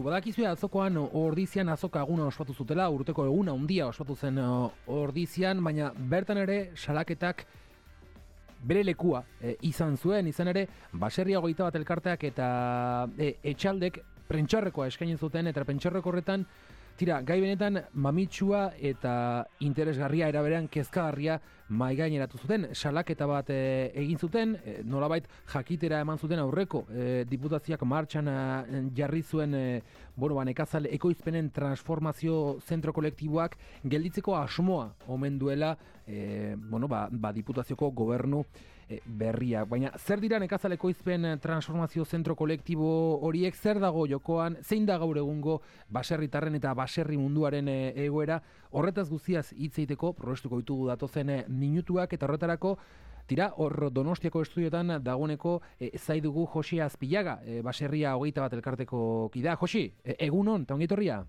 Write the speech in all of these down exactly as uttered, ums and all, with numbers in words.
Badakizue atzokoan Ordizian azoka eguna ospatu zutela, urteko eguna handia ospatu zen Ordizian, baina bertan ere salaketak bere lekua e, izan zuen, izan ere Baserria hogeita bat elkarteak eta e, etxaldek prentxarrekoa eskaini zuten, eta prentxarreko horretan tira, gai benetan mamitsua eta interesgarria eraberean kezkagarria maigaineratu zuten, salaketa bat e, egin zuten, e, nolabait jakitera eman zuten aurreko e, diputazioak martxan e, jarri zuen e, bueno, ba, nekazal ekoizpenen transformazio zentro kolektiboak gelditzeko asmoa omen duela e, bueno, ba, ba, diputazioko gobernu e, berria. Baina zer dira nekazal ekoizpen transformazio zentro kolektibo horiek, zer dago jokoan, zein da gaur egungo baserritarren eta baserri munduaren e, egoera, horretaz guztiaz hitz egiteko probestuko ditugu datozen e, minutuak, eta horretarako tira, hor Donostiako estudiotan dagoeneko e, zaidugu Josi Azpillaga, e, Baserria hogeita bat elkarteko kidea. Josi, e, egunon, eta ongi etorria?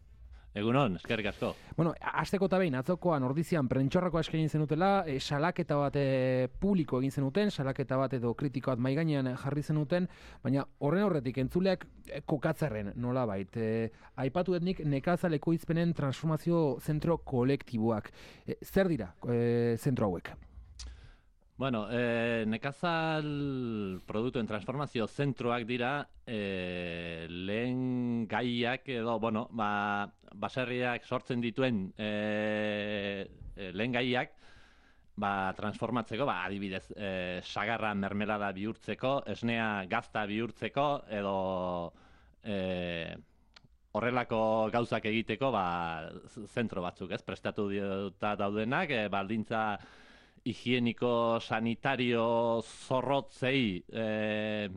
Egunon, eskerrik asko. Bueno, hasteko eta behin, atzokoan Ordizian prentxarrakoa eskaini zenutela, e, salaketa bat e, publiko egin zenuten, salaketa bat edo kritiko bat maigainean jarri zenuten, baina horren horretik entzuleak e, kokatzerren nolabait. E, aipatu etnik nekazal ekoizpenen transformazio zentro kolektiboak. E, zer dira e, zentro hauek? Bueno, eh, nekazal produktuen transformazio zentroak dira eh, lehen gaiak edo, bueno, ba, baserriak sortzen dituen eh, lehen gaiak ba, transformatzeko, ba, adibidez, eh, sagarra mermelada bihurtzeko, esnea gazta bihurtzeko, edo eh, horrelako gauzak egiteko ba, zentro batzuk, ez, prestatu dira daudenak, eh, baldintza higieniko, sanitario, zorrotzei e,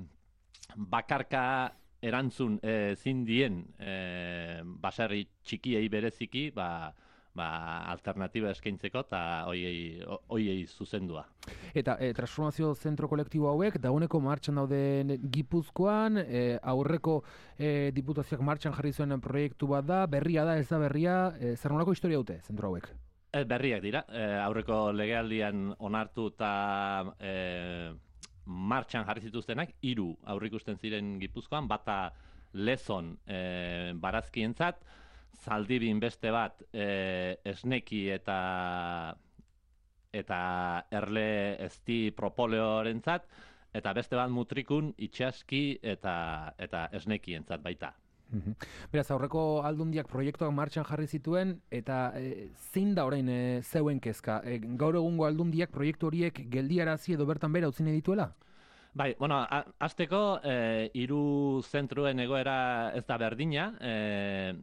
bakarka erantzun e, zindien e, baserri txikiei bereziki, ba, ba, alternatiba eskaintzeko eta hoiei, hoiei zuzendua. Eta e, transformazio zentro kolektibo hauek dagoeneko martxan daude Gipuzkoan, e, aurreko e, diputazioak martxan jarri zuen proiektu bat da, berria da, ez da berria, e, zer nolako historia dute zentro hauek? Berriak dira, e, aurreko legealdian onartu eta e, martxan jarri zituztenak, hiru aurrikusten ziren Gipuzkoan, bata Lezon e, barazkientzat, Zaldibin beste bat e, esneki eta eta erle ezti propoleorentzat, eta beste bat Mutrikun itxaski eta, eta esnekientzat baita. Beraz, aurreko aldundiak proiektuak martxan jarri zituen, eta e, zein da orain e, zeuen kezka? E, gaur egungo aldundiak proiektu horiek geldiarazi edo bertan bera utzi nahi dituela? Bai, bueno, hasteko e, hiru zentruen egoera ez da berdina, e,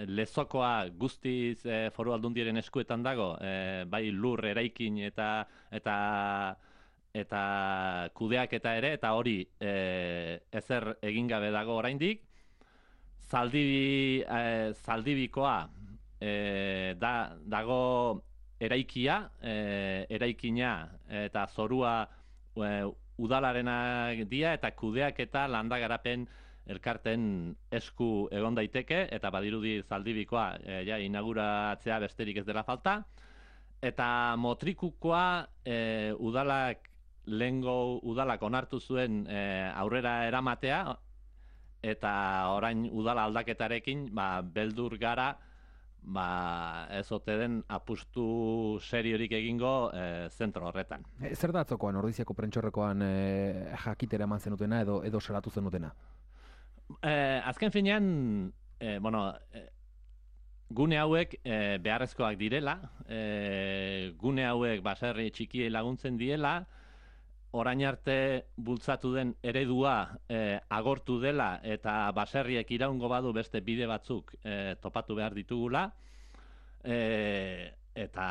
Lezokoa guztiz e, foru aldundiaren eskuetan dago, e, bai lur eraikin eta eta eta kudeaketa ere, eta hori e, ezer egin gabe dago oraindik. Zaldibi, eh, Zaldibikoa eh, da, dago eraikia, eh, eraikina eta zorua eh, udalarenak dira, eta kudeak eta landagarapen elkarten esku egon daiteke, eta badirudi Zaldibikoa eh, ja, inauguratzea besterik ez dela falta. Eta Motrikukoa eh, udalak, lehengo udalak onartu zuen eh, aurrera eramatea, eta orain udala aldaketarekin ba, beldur gara ba, ez ote den apustu seriorik egingo e, zentro horretan. E, zer da atzokoan, Ordiziako prentxorrekoan e, jakitera eman zenutena edo, edo salatu zenutena? E, azken finean, e, bueno, e, gune hauek e, beharrezkoak direla, e, gune hauek baserri txikiei laguntzen diela, orain arte bultzatu den eredua e, agortu dela eta baserriek iraungo badu beste bide batzuk e, topatu behar ditugula, e, eta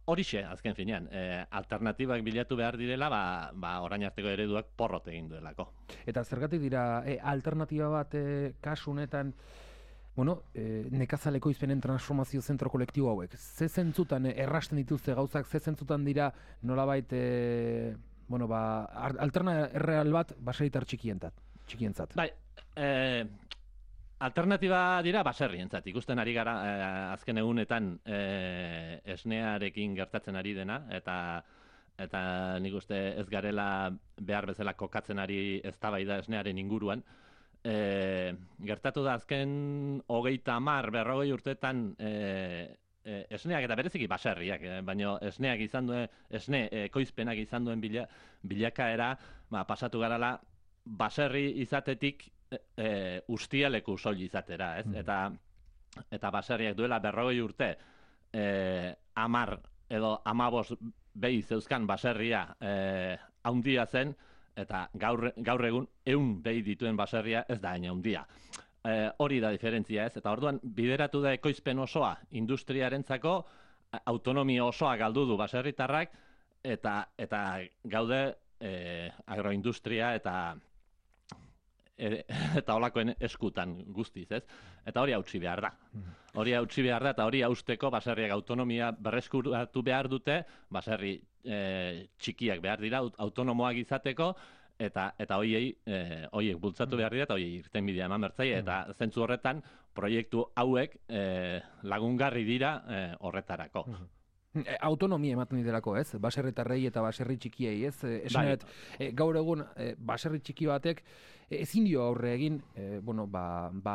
horixe azken finean, e, alternatibak bilatu behar direla, ba, ba orain arteko ereduak porrot egin duelako. Eta zergatik dira e, alternatiba bat e, kasu honetan, bueno, e, nekazaleko izpenen transformazio zentro kolektibo hauek? Ze zentzutan e, errasten dituzte gauzak, ze zentzutan dira nolabait e, bueno, ba, alterna erreal bat baserritar txikientzat, txikientzat. Bai, eh, alternatiba dira baserrientzat. Ikusten ari gara eh, azken egunetan eh, esnearekin gertatzen ari dena, eta eta nik uste ez garela behar bezala kokatzen ari eztabaida esnearen inguruan. e, gertatu da azken hogeita hamar, berrogei urtetan e, e, esneak eta bereziki baserriak, e, baina esneak izan duen, esne ekoizpenak izan duen bila, bilakaera, ba, pasatu garala baserri izatetik e, e, ustialeku soil izatera, ez? Mm. Eta eta baserriak duela berrogei urte e, amar edo amabos behi zeuzkan baserria e, haundia zen, eta gaur, gaur egun ehun behi dituen baserria ez da hain haundia. E, hori da diferentzia, ez? Eta orduan bideratu da ekoizpen osoa industriarentzako, autonomia osoa galdu du baserritarrak, eta, eta gaude e, agroindustria eta eta holakoen eskutan guztiz, ez? Eta hori hautsi behar da. Hori hautsi behar da, eta hori hausteko baserriak autonomia berreskuratu behar dute, baserri e, txikiak behar dira, autonomoak izateko, eta eta hoiei e, hoiek bultzatu behar dira, eta hoiei irtenbidea eman bertzaile, eta zentzu horretan proiektu hauek e, lagungarri dira e, horretarako. Autonomia ematen ditelako, ez? Baserritarrei eta baserri txikiei, ez? Esan dut, e, gaur egun e, baserri txiki batek e, ezin dio aurre egin, e, bueno, ba, ba,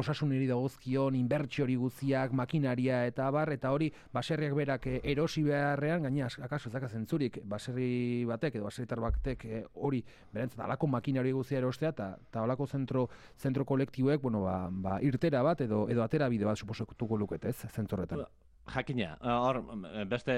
osasuneri dagozkion, inbertsiori guztiak, makinaria eta abar, eta hori baserriak berak e, erosi beharrean, gaina, akaso ez daka zentzurik, baserri batek edo baserritar batek e, hori, berentzat, alako makinari guztia erostea, eta ta alako zentro, zentro kolektiboek, bueno, ba, ba, irtera bat edo, edo atera bide bat suposatuko luket, ez? Zentzorretan. Jakina, hor beste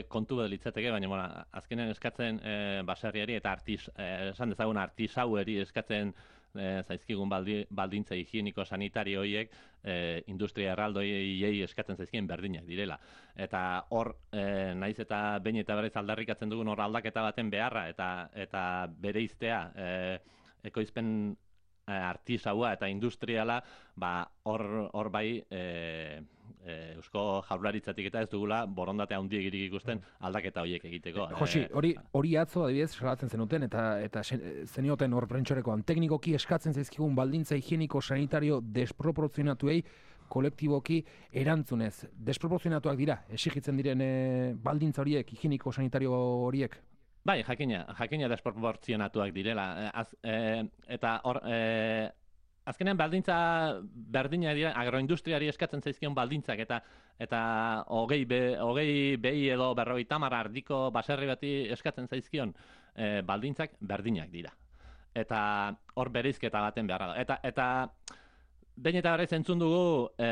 kontu bat litzateke, baina bueno, azkenean eskatzen e, baserriari eta artis, e, esan dezagun artisaueri eskatzen e, zaizkigun baldi, baldintza higieniko sanitario horiek e, industria erraldoiei eskatzen zaizkien berdinak direla. Eta hor, e, naiz eta behin eta berriz aldarrikatzen dugun hor aldaketa baten beharra eta eta bereiztea e, ekoizpen e, artisaua eta industriala, ba hor hor bai e, E, Eusko Jaurlaritzatik eta ez dugula borondate handiegirik ikusten aldaketa horiek egiteko. Josi, hori hori atzo adibidez salatzen zenuten eta eta zenioten hor prentsorekoan teknikoki eskatzen zaizkigun baldintza higieniko sanitario desproportzionatuei kolektiboki erantzunez. Desproportzionatuak dira, exigitzen diren e, baldintza horiek, higieniko sanitario horiek? Bai, jakina, jakina desproportzionatuak direla. Az, e, eta hor... E, Azkenean baldintza berdina dira, agroindustriari eskatzen zaizkion baldintzak eta eta hogei be, hogei behi edo berrogeita hamar ardiko baserri bati eskatzen zaizkion e, baldintzak berdinak dira. Eta hor bereizketa baten beharra da. Eta eta behin eta berriz entzun dugu e,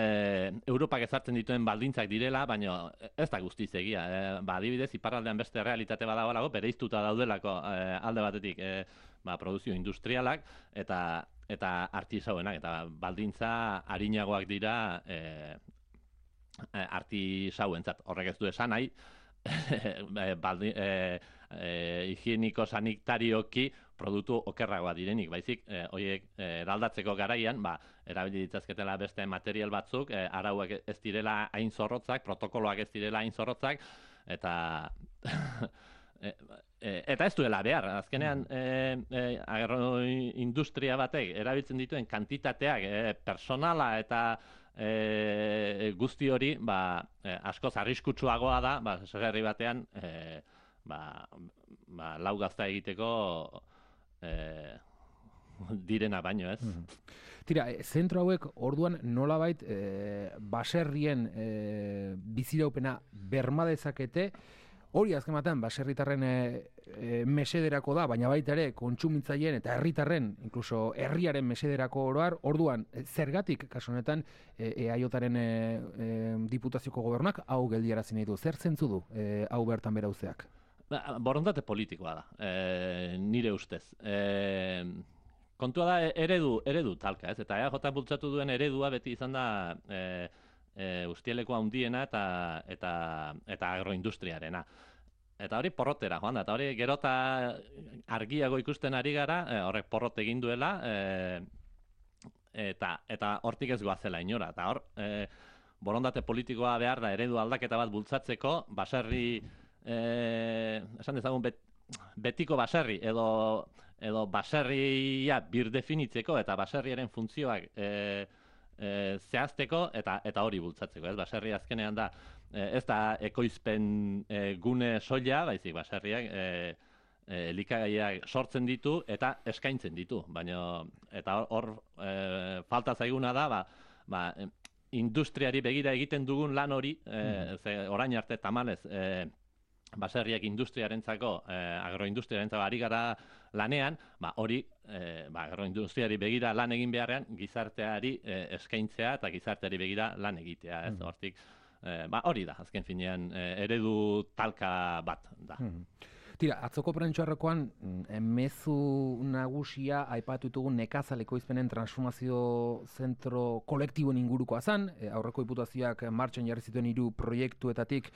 Europak ezartzen dituen baldintzak direla, baina ez da guztiz egia. E, ba, adibidez, iparraldean beste realitate badagoelako, bereiztuta daudelako e, alde batetik e, ba, produzio industrialak eta eta artisauenak, eta baldintza arinagoak dira e, artisauentzat. Horrek ez du esan nahi, baldi, e, e, higieniko sanitarioki produktu okerragoa direnik, baizik, e, horiek e, eraldatzeko garaian, ba, erabili ditzazketela beste material batzuk, e, arauak ez direla hain zorrotzak, protokoloak ez direla hain zorrotzak, eta... E, e, eta ez duela behar, azkenean e, e, agroindustria batek erabiltzen dituen kantitateak, e, personala eta e, guzti hori ba, e, askoz arriskutsuagoa da, ba, segerri batean e, ba, ba, lau gazta egiteko e, direna baino, ez? Mm-hmm. Tira, zentro hauek orduan nolabait e, baserrien e, biziraupena berma dezakete. Hori azken batean baserritarren e, e, mesederako da, baina baita ere kontsumitzaileen eta herritarren, inkluso herriaren mesederako oroar, orduan zergatik kasu honetan e, eaiotaren e, e, diputazioko gobernuak hau geldiarazi nahi du. Zer zentzu du e, hau bertan bera uzeak? Ba, borondate politikoa da, e, nire ustez. E, kontua da eredu, eredu talka, ez? Eta E A J bultzatu duen eredua beti izan da e, e, ustieleko handiena eta, eta, eta agroindustriarena. Eta hori porrotera, joan da, eta hori gerota argiago ikusten ari gara, e, horrek porrot egin duela, e, eta, eta hortik ez goazela inora. Eta hor, e, borondate politikoa behar da eredu aldaketa bat bultzatzeko, baserri, e, esan dezagun, bet, betiko baserri, edo, edo baserria birdefinitzeko, eta baserriaren funtzioak e, e, zehazteko, eta, eta hori bultzatzeko. Ez? Baserri azkenean da, ez da ekoizpen e, gune soila, baizik baserriak e, e, elikagaiak sortzen ditu eta eskaintzen ditu, baina eta hor e, falta zaiguna da, ba, ba, industriari begira egiten dugun lan hori, e, ze orain arte tamalez, e, baserriak industriarentzako, eh, agroindustriarentzako ari gara lanean, ba, hori eh, ba, agroindustriari begira lan egin beharrean, gizarteari eh, eskaintzea eta gizarteari begira lan egitea, ez, mm. hortik, eh, ba, hori da, azken finean, eh, eredu talka bat da. Mm. Tira, atzoko prentxoarrekoan, mezu nagusia aipatu ditugun nekazaleko izpenen transformazio zentro kolektiboen ingurukoa zen, e, aurreko diputazioak martxan jarri zituen hiru proiektuetatik,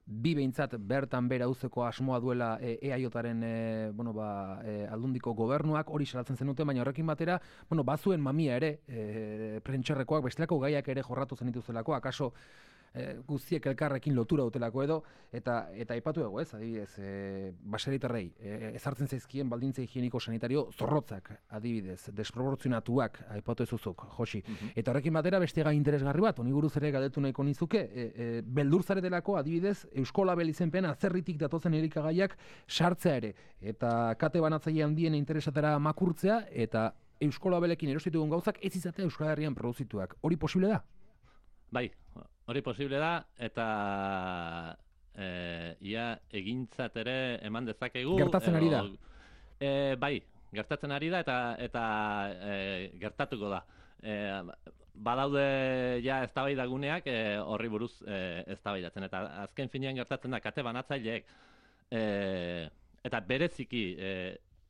bi behintzat bertan bera uzeko asmoa duela e, EAJaren e, bueno, ba, e, aldundiko gobernuak, hori salatzen zenuten, baina horrekin batera, bueno, bazuen mamia ere, e, prentxarrekoak, bestelako gaiak ere jorratu zenituzelako, akaso e, guztiek elkarrekin lotura dutelako edo, eta eta aipatu dugu, ez, adibidez, e, baserritarrei, e, ezartzen zaizkien baldintza higieniko sanitario zorrotzak, adibidez, desproportzionatuak, aipatu ezuzuk, Josi. Uh-huh. Eta horrekin batera beste gai interesgarri bat, honi buruz ere galdetu nahiko nizuke, e, e, beldur zaretelako, adibidez, Eusko Label izenpean atzerritik datozen elikagaiak sartzea ere, eta kate banatzaile handien interesatera makurtzea, eta Eusko Labelekin erostitugun gauzak ez izatea Euskal Herrian produzituak. Hori posible da? Bai, hori posible da, eta e, ia egintzat ere eman dezakegu. Gertatzen ari da? E, bai, gertatzen ari da, eta, eta e, gertatuko da. E, badaude ja eztabaidaguneak e, horri buruz e, eztabaidatzen, eta azken finean gertatzen da kate banatzaileek e, eta bereziki e,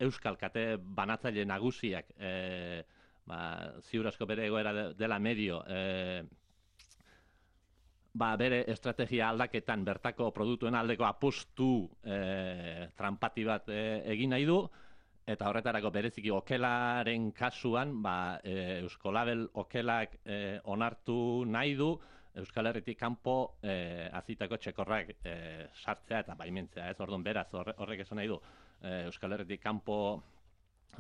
euskal kate banatzaile nagusiak e, ba, ziur asko bere egoera dela medio e, ba, bere estrategia aldaketan bertako produktuen aldeko apustu e, trampati bat e, egin nahi du. Eta horretarako bereziki okelaren kasuan, ba, e, Eusko Label okelak e, onartu nahi du, Euskal Herritik kanpo e, azitako txekorrak e, sartzea eta baimentzea, ez? Orduan beraz horrek esan nahi du, e, Euskal Herritik kanpo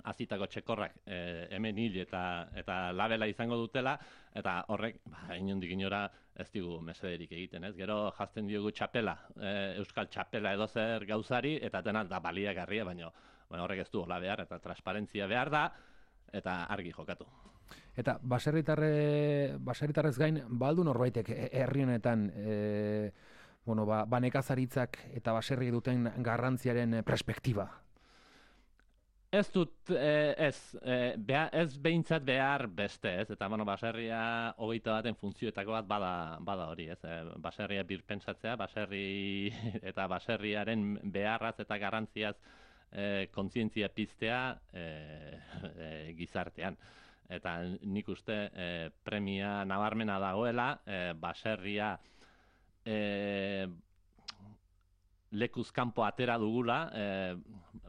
azitako txekorrak e, hemen hil eta, eta labela izango dutela, eta horrek, ba, inondik inora ez digu mesederik egiten, ez? Gero jazten diogu txapela, e, Euskal txapela edo zer gauzari, eta dena da baliagarria, baino Bueno, horrek ez du hola behar, eta transparentzia behar da, eta argi jokatu. Eta baserritarre, baserritarrez gain, baldu norbaitek herri honetan, e, bueno, ba, banekazaritzak eta baserri duten garrantziaren perspektiba? Ez dut, ez, beha, ez behintzat behar beste, ez, eta bueno, baserria hogeita baten funtzioetako bat bada, bada hori, ez, baserria birpentsatzea, baserri eta baserriaren beharraz eta garrantziaz E, kontzientzia piztea e, e, gizartean. Eta nik uste e, premia nabarmena dagoela, e, baserria e, lekuz kanpo atera dugula, e,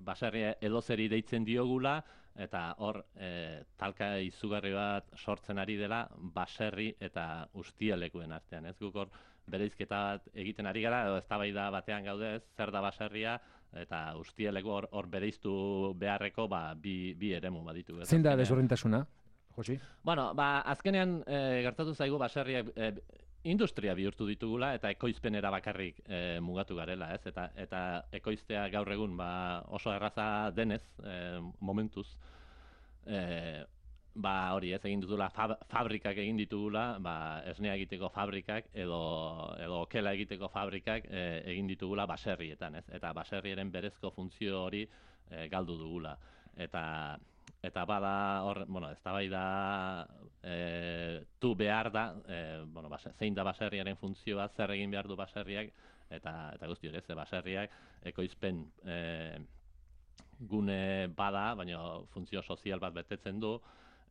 baserria edozeri deitzen diogula, eta hor e, talka izugarri bat sortzen ari dela baserri eta ustialekuen artean. Ez guk hor bereizketa bat egiten ari gara, edo eztabaida batean gaude, ez, zer da baserria, eta ustialeko hor, hor bereiztu beharreko ba, bi, bi eremu baditu. Zein da desberdintasuna, Josi? Bueno, ba, azkenean e, gertatu zaigu baserriak e, industria bihurtu ditugula eta ekoizpenera bakarrik e, mugatu garela, ez? Eta, eta ekoiztea gaur egun ba, oso erraza denez, e, momentuz, e, ba hori ez egin ditugula, fab, fabrikak egin ditugula, ba, esnea egiteko fabrikak edo, edo okela egiteko fabrikak e, egin ditugula baserrietan, ez? Eta baserriaren berezko funtzio hori e, galdu dugula. Eta eta bada hor, bueno, eztabaida e, tu behar da, e, bueno, base, zein da baserriaren funtzioa, zer egin behar du baserriak, eta eta guzti hori, ze baserriak ekoizpen e, gune bada, baina funtzio sozial bat betetzen du,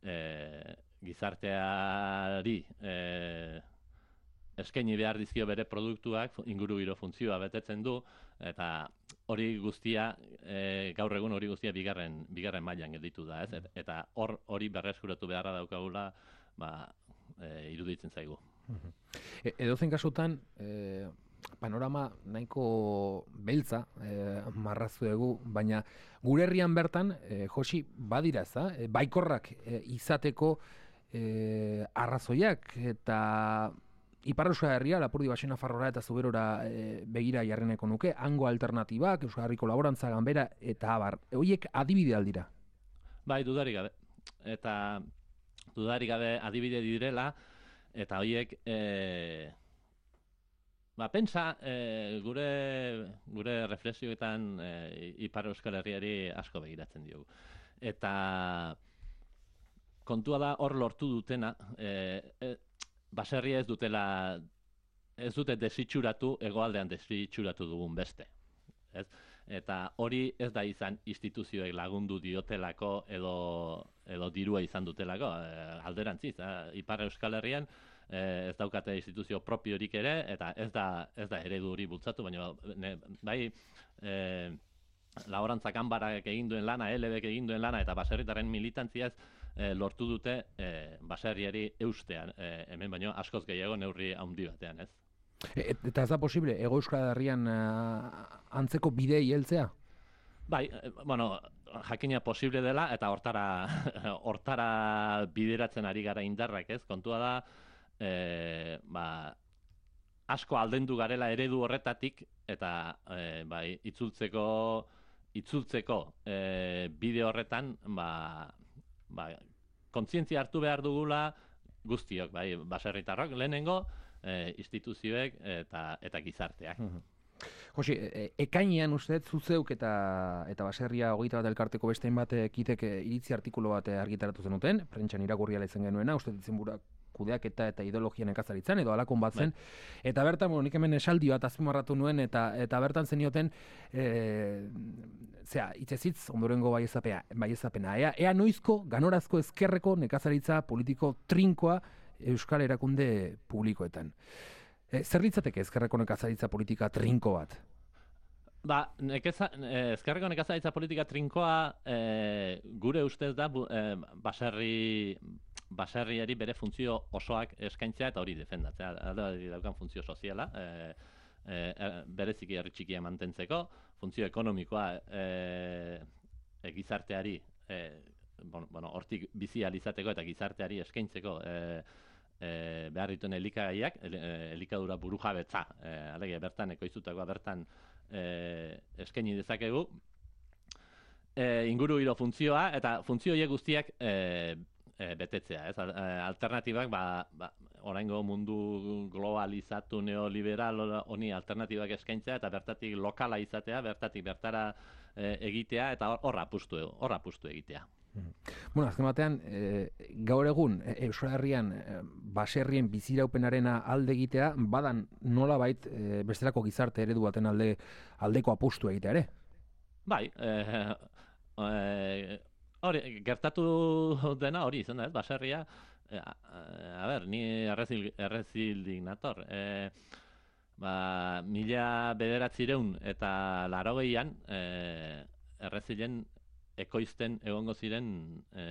E, gizarteari e, eskaini behar dizkio bere produktuak, ingurugiro funtzioa betetzen du, eta hori guztia, e, gaur egun hori guztia bigarren, bigarren mailan gelditu da, ez? Eta hor hori berreskuratu beharra daukagula, ba, e, iruditzen zaigu. E, edozein kasutan, e, panorama nahiko beltza e, marrazu dugu, baina gure herrian bertan, e, Josi, badira ez da, e, baikorrak e, izateko e, arrazoiak, eta Ipar Euskal Herria, Lapurdi Baxe Nafarroa eta Zuberora e, begira jarreneko nuke, hango alternatibak, Euskal Herriko Laborantza Ganbera eta abar. Horiek adibide aldira? Bai, dudarik gabe. Eta dudarik gabe adibide direla, eta horiek, e, ba, pentsa, e, gure, gure reflexioetan e, Ipar Euskal Herriari asko begiratzen diogu. Eta kontua da hor lortu dutena, e, e, baserria ez dutela, ez dute desitxuratu, hegoaldean desitxuratu dugun beste. Ez? Eta hori ez da izan instituzioek lagundu diotelako edo, edo dirua izan dutelako, e, alderantziz. E, Ipar Euskal Herrian e, ez daukate instituzio propiorik ere, eta ez da, ez da eredu hori bultzatu, baina ne, bai e, Laborantza Ganbarak egin duen lana, L B K egin duen lana, eta baserritarren militantziaz E, lortu dute e, baserriari eustean, e, hemen baino askoz gehiago neurri handi batean, ez? E, eta ez da posible, Hego Euskal Herrian uh, antzeko bidei heltzea? Bai, e, bueno, jakina posible dela, eta hortara, hortara bideratzen ari gara indarrak, ez? Kontua da, e, ba, asko aldendu garela eredu horretatik, eta e, bai, itzultzeko, itzultzeko e, bide horretan, ba, ba, kontzientzia hartu behar dugula guztiok, bai, baserritarrok, lehenengo, e, instituzioek eta, eta gizarteak. Josi, e, ekainean uste, zuzeuk eta, eta baserria hogeita bat elkarteko bestein bat ekitek iritzi artikulu bat argitaratu zenuten, prentxan irakurriala izan genuena, uste ditzen burak kudeaketa eta ideologia nekazaritzan edo alakon bat zen, bai. Eta bertan, bueno, nik hemen esaldi bat azpimarratu nuen, eta eta bertan zenioten, e, zera, itzezitz, ondorengo baiezapena, baiezapena. Ea, ea noizko, ganorazko ezkerreko nekazaritza politiko trinkoa Euskal Erakunde publikoetan. E, zer litzateke ezkerreko nekazaritza politika trinko bat? Ba, nekeza, eh, ezkerreko nekazaritza politika trinkoa eh, gure ustez da bu, eh, baserri baserriari bere funtzio osoak eskaintzea eta hori defendatzea. Hori daukan funtzio soziala, e, e, bereziki herri txikia mantentzeko, funtzio ekonomikoa e, e, gizarteari, e, bueno, bueno, hortik bizi alizateko eta gizarteari eskaintzeko e, e, behar dituen elikagaiak, el, e, elikadura burujabetza, e, alege bertan ekoiztutakoa bertan e, eskaini dezakegu, e, inguru hilo funtzioa, eta funtzio horiek guztiak e, E, betetzea, ez? Alternatibak, ba, ba, oraingo mundu globalizatu neoliberal honi alternatibak eskaintzea eta bertatik lokala izatea, bertatik bertara e, egitea eta hor apustu, hor apustu egitea. Bueno, azken batean, e, gaur egun Euskal Herrian e, baserrien biziraupenarena alde egitea, badan nolabait e, bestelako gizarte eredu baten alde aldeko apustu egitea ere? Bai, eh, eh, hori, gertatu dena hori izan da, ez, baserria, e, a, a ber, ni errezil, errezildik nator, e, ba, mila bederatzireun eta larogeian, e, errezilen ekoizten egongo ziren, e,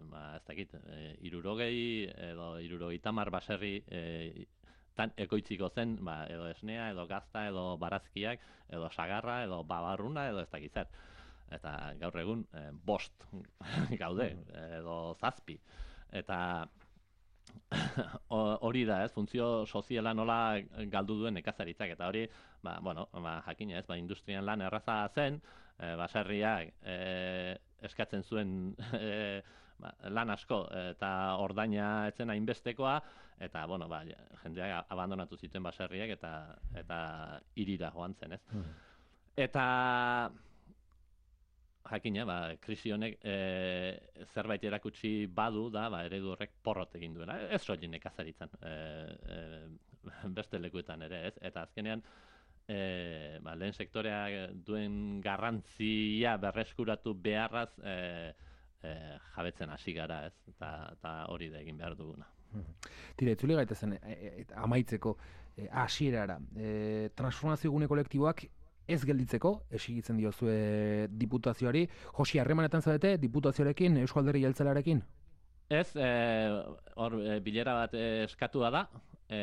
ba, ez dakit, e, irurogei edo irurogei tamar baserri e, tan ekoitziko zen, ba, edo esnea, edo gazta, edo barazkiak, edo sagarra, edo babarruna, edo ez dakit zer. Eta gaur egun eh, bost gaude, edo zazpi. Eta hori da, ez, funtzio soziala nola galdu duen nekazaritzak. Eta hori, ba, bueno, ba, jakina ez, ba, industrian lan erraza zen, eh, baserriak eh, eskatzen zuen eh, ba, lan asko, eta ordaina etzen hainbestekoa, eta, bueno, ba, jendeak abandonatu zituen baserriak, eta, eta hirira joan zen, ez. Mm. Eta jakina, ba, krisi honek e, zerbait erakutsi badu da, ba, eredu horrek porrot egin duela. Ez soilik nekazaritzan, e, e, beste lekuetan ere, ez? Eta azkenean, e, ba, lehen sektorea duen garrantzia berreskuratu beharraz e, e, jabetzen hasi gara, ez? Eta, eta hori da egin behar duguna. Tira, itzuli gaitezen, e, e, amaitzeko, e, hasierara, e, transformazio gune kolektiboak ez gelditzeko, esigitzen diozue diputazioari. Josi, harremanetan zaudete diputazioarekin, Eusko Alderdi Jeltzalearekin? Ez, hor e, bilera bat eskatua da, e,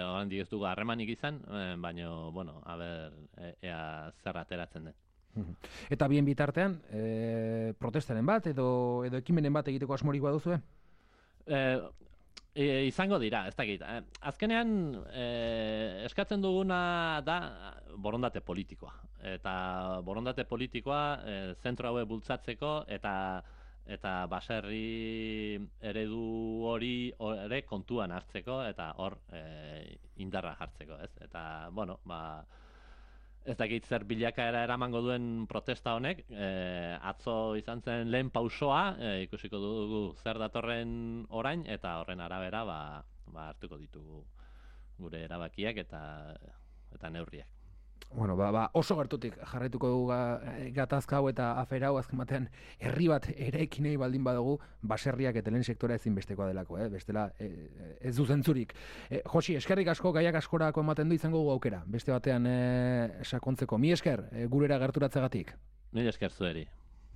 oraindik ez dugu harremanik izan, e, baina, bueno, a ber, e, ea zer ateratzen den. Eta bien bitartean, e, protestaren bat, edo, edo ekimenen bat egiteko asmorik baduzue? E, E, izango dira, ez dakit. Eh, azkenean, eh, eskatzen duguna da borondate politikoa. Eta borondate politikoa eh, zentro hauek bultzatzeko eta eta baserri eredu hori ere kontuan hartzeko eta hor eh, indarra jartzeko, ez? Eta, bueno, ba, ez dakit zer bilakaera eramango duen protesta honek, e, atzo izan zen lehen pausoa, e, ikusiko dugu zer datorren orain, eta horren arabera ba, ba hartuko ditugu gure erabakiak eta eta neurriak. Bueno, ba, ba, oso gertutik jarraituko dugu ga, gatazka hau eta afera hau azken batean herri bat eraiki nahi baldin badugu baserriak eta lehen sektora ezinbestekoa delako, eh? Bestela eh, ez du zentzurik. Eh, Josi, eskerrik asko gaiak askorako ematen du izango dugu aukera, beste batean eh, sakontzeko. Mi esker, eh, gurera gerturatzegatik. Mil esker zueri.